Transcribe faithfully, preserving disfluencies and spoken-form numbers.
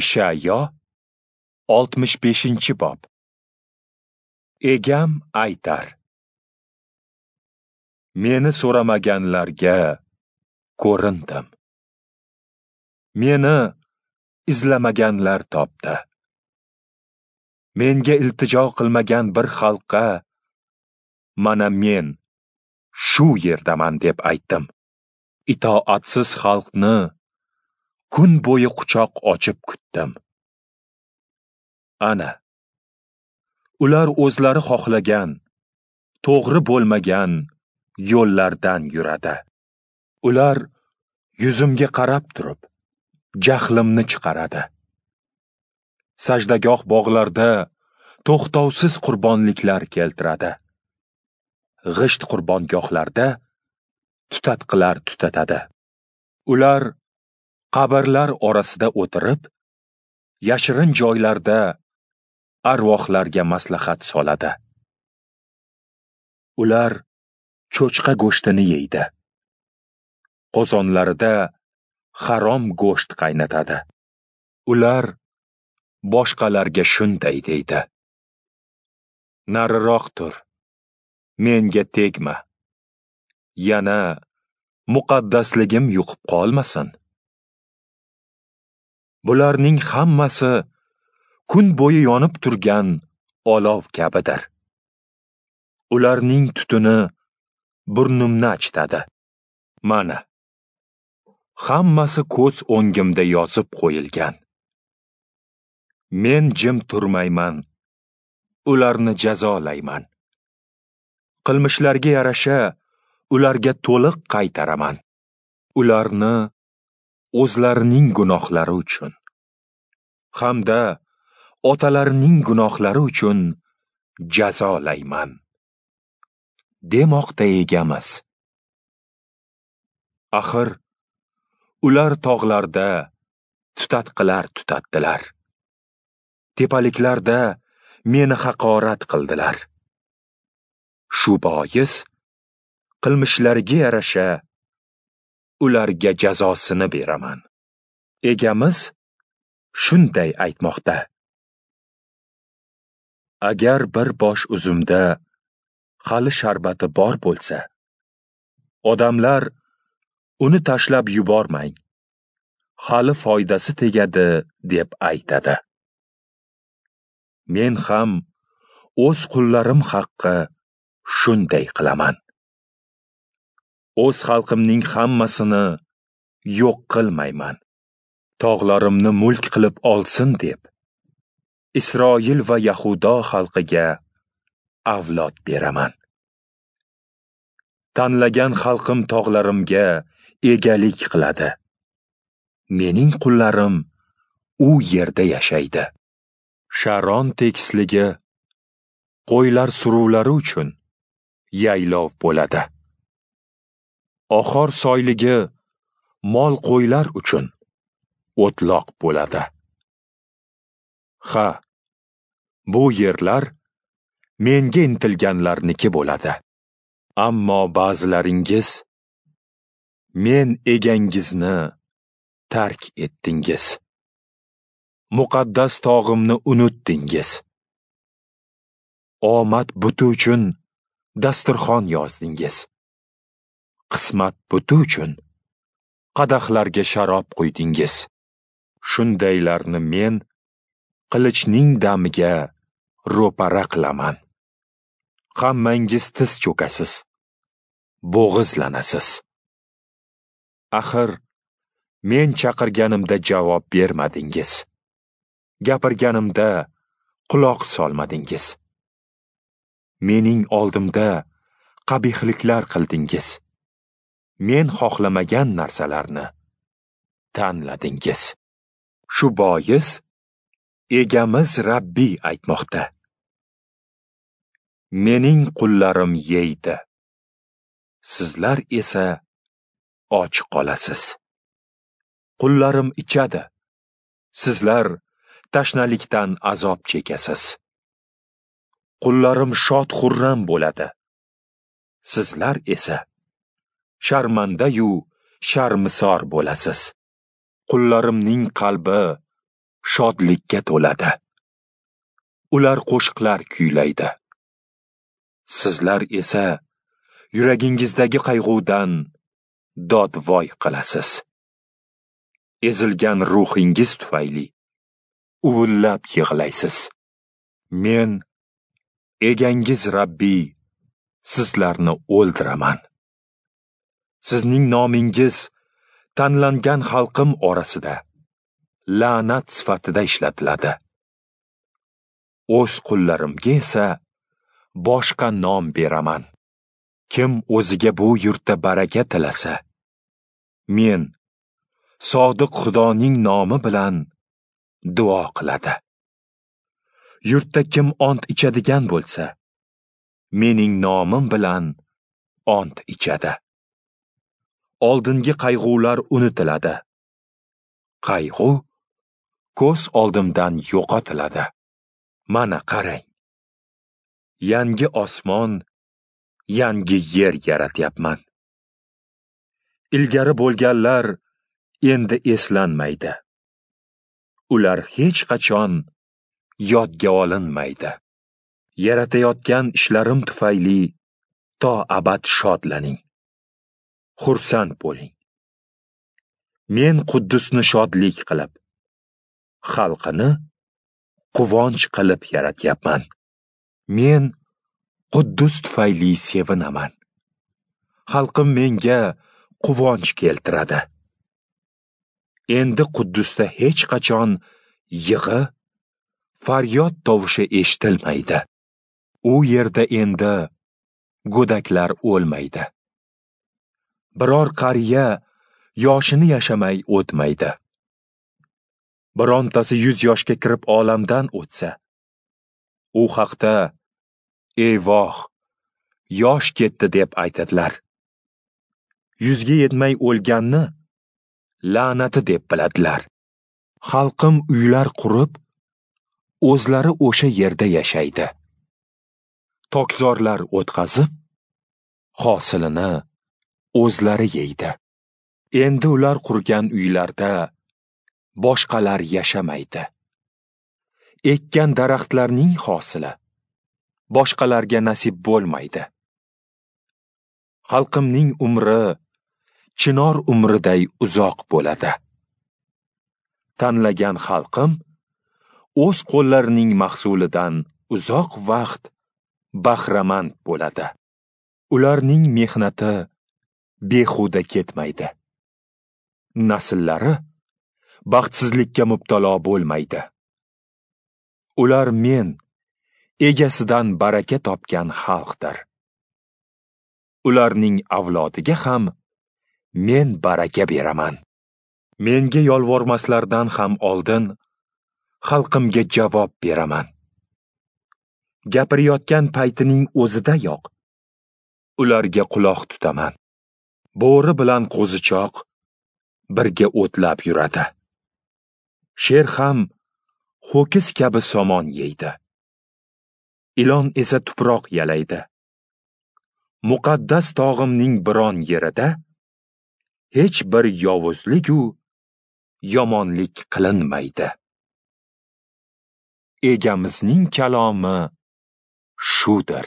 Ishayo oltmish beshinchi bob. Egam aytar: Meni so'ramaganlarga ko'rindim. Meni izlamaganlar topdi. Menga iltijo qilmagan bir xalqqa mana men shu yerdaman deb aytdim. Itoatsiz xalqni kun bo'yi quchoq ochib kutdim. Ana, ular o'zlari xohlagan, to'g'ri bo'lmagan yo'llardan yuradi. Ular yuzimga qarab turib, jahlimni chiqaradi. Sajdagoh bog'larda to'xtovsiz qurbonliklar keltiradi. G'isht qurbongohlarda tutatqilar tutatadi. Ular qabrlar orasida o'tirib, yashirin joylarda arvohlarga maslahat soladi. Ular cho'chqa go'shtini yeydi. Qozonlarida harom go'sht qaynatadi. Ular boshqalarga shunday deydi: Nariroq tur, menga tegma. Yana muqaddasligim yuqib qolmasin. Bularning hammasi kun bo'yi yonib turgan olov kabidir. Ularning tutuni burnimni achitadi. Mana, hammasi ko'z o'ngimda yozib qo'yilgan. Men jim turmayman, ularni jazolayman. Qilmishlariga yarasha ularga to'liq qaytaraman. Ularni o'zlarining gunohlari uchun hamda otalarining gunohlari uchun jazolayman, demoqda Egamiz. Axir ular tog'larda tutatqilar tutatdilar. Tepaliklarda meni haqorat qildilar. Shu bois qilmishlariga yarasha ularga jazosini beraman. Egamiz shunday aytmoqda: Agar bir bosh uzumda hali sharbati bor bo'lsa, odamlar uni tashlab yubormang, hali foydasi tegadi deb aytadi. Men ham o'z qullarim haqqi shunday qilaman. O'z xalqimning hammasini yo'q qilmayman. Tog'larimni mulk qilib olsin deb Isroil va Yahudo xalqiga avlod beraman. Tanlagan xalqim tog'larimga egalik qiladi. Mening qullarim u yerda yashaydi. Sharon tekisligi qo'ylar suruvlari uchun yaylov bo'ladi. Oxor soyligi mol qo'ylar uchun o'tloq bo'ladi. Ha, bu yerlar menga intilganlarniki bo'ladi. Ammo ba'zilaringiz men egangizni tark etdingiz. Muqaddas tog'imni unutdingiz. Omad buti uchun dasturxon yozdingiz. Qismat buti uchun qadahlarga sharob quydingiz. Shundaylarni men qilichning damiga ro'para qilaman. Hammangiz tiz cho'kasiz, bo'g'izlanasiz. Axir men chaqirganimda javob bermadingiz. Gapirganimda quloq solmadingiz. Mening oldimda qabihliklar qildingiz. Men xohlamagan narsalarni tanladingiz. Shu bois Egamiz Rabbiy aytmoqda: Mening qullarim yeydi, sizlar esa och qolasiz. Qullarim ichadi, sizlar tashnalikdan azob chekasiz. Qullarim shod-xurram bo'ladi, sizlar esa sharmanda-yu sharmisor bo'lasiz. Qullarimning qalbi shodlikka to'ladi. Ular qo'shiqlar kuylaydi. Sizlar esa yuragingizdagi qayg'udan dodvoy qilasiz. Ezilgan ruhingiz tufayli uvillab yig'laysiz. Men egangiz Rabbiy sizlarni o'ldiraman. Sizning nomingiz tanlangan xalqim orasida la'nat sifatida ishlatiladi. O'z qullarimga esa boshqa nom beraman. Kim o'ziga bu yurtda baraka tilasa, men sodiq Xudoning nomi bilan duo qiladi. Yurtda kim ont ichadigan bo'lsa, mening nomim bilan ont ichadi. Oldingi qayg'ular unutiladi. Qayg'u ko'z oldimdan yo'qotiladi. Mana qarang. Yangi osmon, yangi yer yaratyapman. Ilgari bo'lganlar endi eslanmaydi. Ular hech qachon yodga olinmaydi. Yaratayotgan ishlarim tufayli to abad shodlaning. Xursand bo'ling. Men Quddusni shodlik qilib, xalqini quvonch qilib yaratyapman. Men Quddus tufayli sevinaman. Xalqim menga quvonch keltiradi. Endi Quddusda hech qachon yig'i, faryod tovushi eshitilmaydi. U yerda endi go'daklar o'lmaydi. Biror qariya yoshini yashamay o'tmaydi. Birontasi yuz yoshga kirib olamdan o'tsa, u haqda eyvoh, yosh ketdi deb aytadilar. Yuzga yetmay o'lganni la'nati deb biladilar. Xalqim uylar qurib, o'zlari o'sha yerda yashaydi. Tokzorlar o'tqazib, hosilini o'zlari yeydi. Endi ular qurgan uylarda boshqalar yashamaydi. Ekkan daraxtlarning hosili boshqalarga nasib bo'lmaydi. Xalqimning umri chinor umriday uzoq bo'ladi. Tanlagan xalqim o'z qo'llarining mahsulidan uzoq vaqt bahramand bo'ladi. Ularning mehnati behuda ketmaydi. Nasllari baxtsizlikka mubtalo bo'lmaydi. Ular men egasidan baraka topgan xalqdir. Ularning avlodiga ham men baraka beraman. Menga yolvormaslardan ham oldin xalqimga javob beraman. Gapirayotgan paytining o'zidayoq ularga quloq tutaman. Bo'ri bilan qo'zichoq birga o'tlab yuradi. Sher ham ho'kiz kabi somon yeydi. Ilon esa tuproq yalaydi. Muqaddas tog'imning biron yerida hech bir yovuzlik-u yomonlik qilinmaydi. Egamizning kalomi shudir.